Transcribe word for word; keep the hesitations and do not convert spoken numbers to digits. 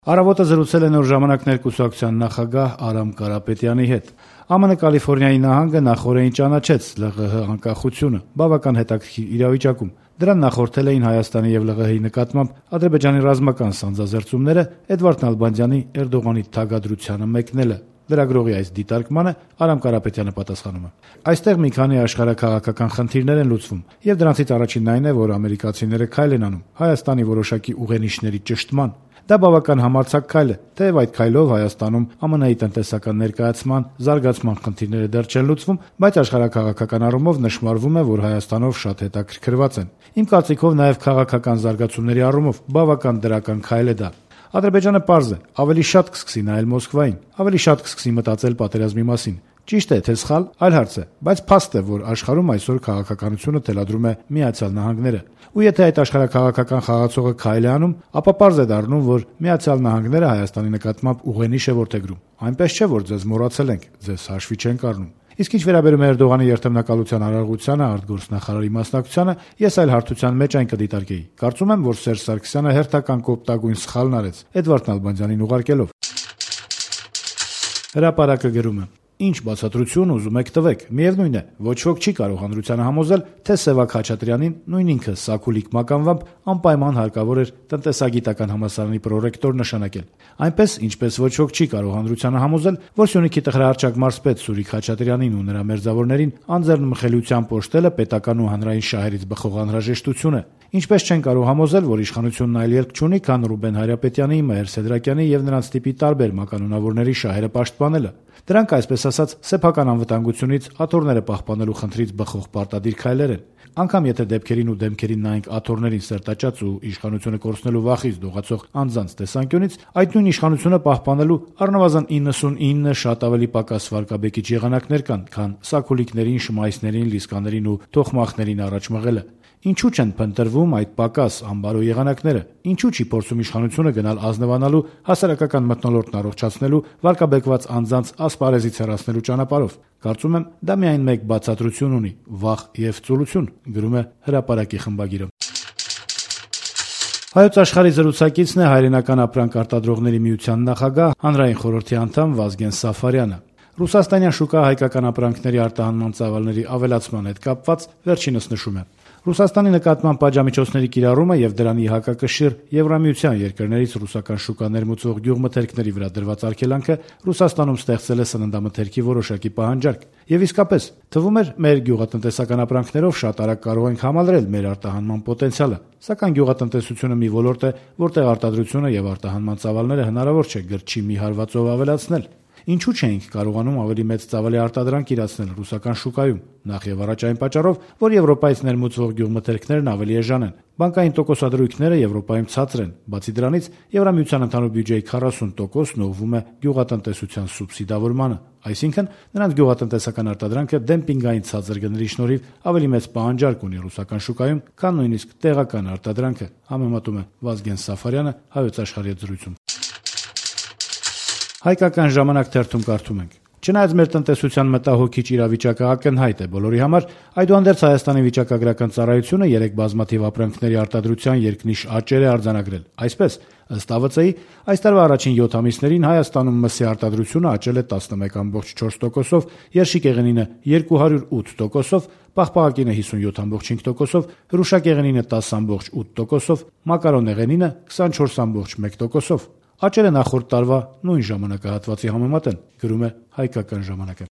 Առավոտը զրուցել է Նոր ժամանակներ կուսակցության նախագահ Արամ Կարապետյանի հետ։ Է Մը Կալիֆոռնիայի նահանգը նախօրեին ճանաչեց Լ Ղ Հ անկախությունը, բավական հետաքրքիր իրավիճակում։ Դրան նախորդել էին Հայաստանի եւ Լ Ղ Հ-ի նկատմամբ Ադրբեջանի ռազմական սանձազերծումները, Էդվարդ Նալբանդյանի Էրդողանի թագադրությանը մեկնելը։ Լրագրողի այս դիտարկմանը Արամ Կարապետյանը պատասխանում է. Այստեղ մի քանի աշխարհաքաղաքական խնդիրներ են լուծվում, եւ դրանցից առաջինն այն է, որ ամերիկացիները քայլ են անում Հայաստանի որոշակի ուղենիշների ճշտման։ Դա բավական համարձակ քայլ է, թեև այդ քայլով Հայաստանում Ա Մը Ն-ի տնտեսական ներկայացման, զարգացման խնդիրները դեռ չեն լուծվում, բայց աշխարհաքաղաքական առումով նշмарվում է, որ Հայաստանով շատ հետաքրքրված են։ Իմ կարծիքով նաև քաղաքական զարգացումների առումով բավական դրական քայլ է դա։ Ադրբեջանը պարզ է, ավելի շատ կսկսի նայել Մոսկվային, ավելի շատ կսկսի մտածել պատերազմի մասին։ Ճիշտ է, թե սխալ, այլ հարց է, բայց փաստ է, որ աշխարհում այսօր քաղաքականությունը թելադրում է Միացյալ Նահանգները։ Ու եթե այդ աշխարհաքաղաքական խաղացողը քայլ է անում, ապա պարզ է դառնում, որ Միացյալ Նահանգները Հայաստանի նկատմամբ ուղենիշ է որդեգրում։ Այնպես չէ, որ ձեզ մոռացել ենք, ձեզ հաշվի չենք առնում։ Իսկ ինչ վերաբերում է Էրդողանի երթմնակալության արարողությանը արտգործնախարարի մասնակցությանը, ես այլ հարթության մեջ այն կդիտարկեի։ Կարծում եմ, որ Սերժ Սարգսյանը հերթական կոպտագույն սխալն արեց Էդվարդ Նալբանդյանին ուղարկելով։ Հրապարակը գրում է. Ինչ բացատրություն ուզում եք տվեք, միևնույն է, ոչ ոք չի կարող հանրությանը համոզել, թե Սևակ Խաչատրյանին, նույն ինքը Սակուլիկ մականվամբ անպայման հարկավոր էր տնտեսագիտական համալսարանի պրոռեկտոր նշանակել։ Այնպես, ինչպես ոչ ոք չի կարող հանրությանը համոզել, որ Սյունիքի տղրահարճակ մարզպետ Սուրիկ Խաչատրյանին ու նրա մերձավորներին անձեռնմխելիությամբ պոշտելը պետական ու հանրային շահերից բխող անհրաժեշտություն է։ Ինչպես չեն կարող համոզել, որ իշխանությունն այլ ելք չունի, քան Ռուբեն Հայրապետյանի, Մհեր Սեդրակյանի եւ նրանց տիպի տարբեր մականունավորների շահերը պաշտպանելը։ Դրանք, այսպես ասած, սեփական անվտանգությունից, աթոռները պահպանելու խնդրից բխող պարտադիր քայլեր են։ Անկամ եթե դեպքերին ու դեմքերին նայենք աթոռներին սերտաճած ու իշխանությունը կորցնելու վախից դողացող անձանց տեսանկյունից, այդ նույն իշխանությունը պահպանելու առնվազն իննսունինը շատ ավելի պակաս վարկաբեկիչ եղանակներ կան, քան սակուլիկներին, շմայսներին, լիսկաներին ու թոխմախներին առաջ մղելը։ Ինչու չեն փնտրվում այդ պակաս ամբարո եղանակները։ Ինչու չի փորձում իշխանությունը գնալ ազնվանալու, հասարակական մթնոլորտն առողջացնելու, վարկաբեկված անձանց ասպարեզից հեռացնելու ճանապարհով։ Կարծում եմ, դա միայն մեկ բացատրություն ունի՝ վախ եւ ծուլություն, գրում է Հրապարակի խմբագիրը։ Հայոց Աշխարհի զրուցակիցն է Հայրենական ապրանք արտադրողների միության նախագահ, հանրային խորհրդի անդամ Վազգեն Սաֆարյանը։ Ռուսաստանյան շուկա հայկական ապրանքների արտահանման ծավալների ավելացման հետ կապված վերջինս նշում է. Ռուսաստանի նկատմամբ պատժամիջոցների կիրառումը եւ դրանի հակակշիռ Եվրամիության երկրներից ռուսական շուկա ներմուծող գյուղմթերքների վրա դրված արգելանքը Ռուսաստանում ստեղծել է սննդամթերքի որոշակի պահանջարկ։ Եվ իսկապես, թվում էր, մեր գյուղատնտեսական ապրանքներով շատ արագ կարող ենք համալրել մեր արտահանման պոտենցիալը, սակայն գյուղատնտեսությունը մի ոլորտ է, որտեղ արտադրությունը եւ արտահանման ծավալները հնարավոր չէ գրչի մի հարվածով ավելացնել։ Ինչու չէինք կարողանում ավելի մեծ ծավալի արտադրանք իրացնել ռուսական շուկայում, նախ եւ առաջ այն պատճառով, որ Եվրոպայից ներմուծվող գյուղմթերքներն ավելի էժան են։ Բանկային տոկոսադրույքները Եվրոպայում ցածր են։ Բացի դրանից, Եվրամիության ընդհանուր բյուջեի քառասուն տոկոսն ուղղվում է գյուղատնտեսության սուբսիդավորմանը, այսինքն նրանց գյուղատնտեսական արտադրանքը դեմպինգային ցածր գների շնորհիվ ավելի մեծ պահանջարկ ունի ռուսական շուկայում, քան նույնիսկ տեղական արտադրանքը, համեմատում է Վազգեն Սաֆարյանը Հայոց Աշխարհի հետ զրույցում։ Հայկական ժամանակ թերթում կարդում ենք. Չնայած մեր տնտեսության մտահոգիչ իրավիճակը ակնհայտ է բոլորի համար, այդուհանդերձ Հայաստանի վիճակագրական ծառայությունը երեք բազմաթիվ ապրանքների արտադրության երկնիշ աճեր է արձանագրել։ Այսպես, ըստ Ա Վծ-ի, այս տարվա առաջին յոթ ամիսներին Հայաստանում մսի արտադրությունը աճել է տասնմեկ կόμμα չորս տոկոսով, երշիկեղենինը երկու հարյուր ութ տոկոսով, պաղպաղակինը հիսունյոթ կόμμα չինգ տոկոսով, հրուշակեղենինը տասը կόμμα ութ տոկոսով, մակարոնեղենինը քսանչորս կόμμα մեկ տոկոսով։ Աճերը նախորդ տարվա նույն ժամանակահատվածի համեմատ են, գրում է Հայկական ժամանակը։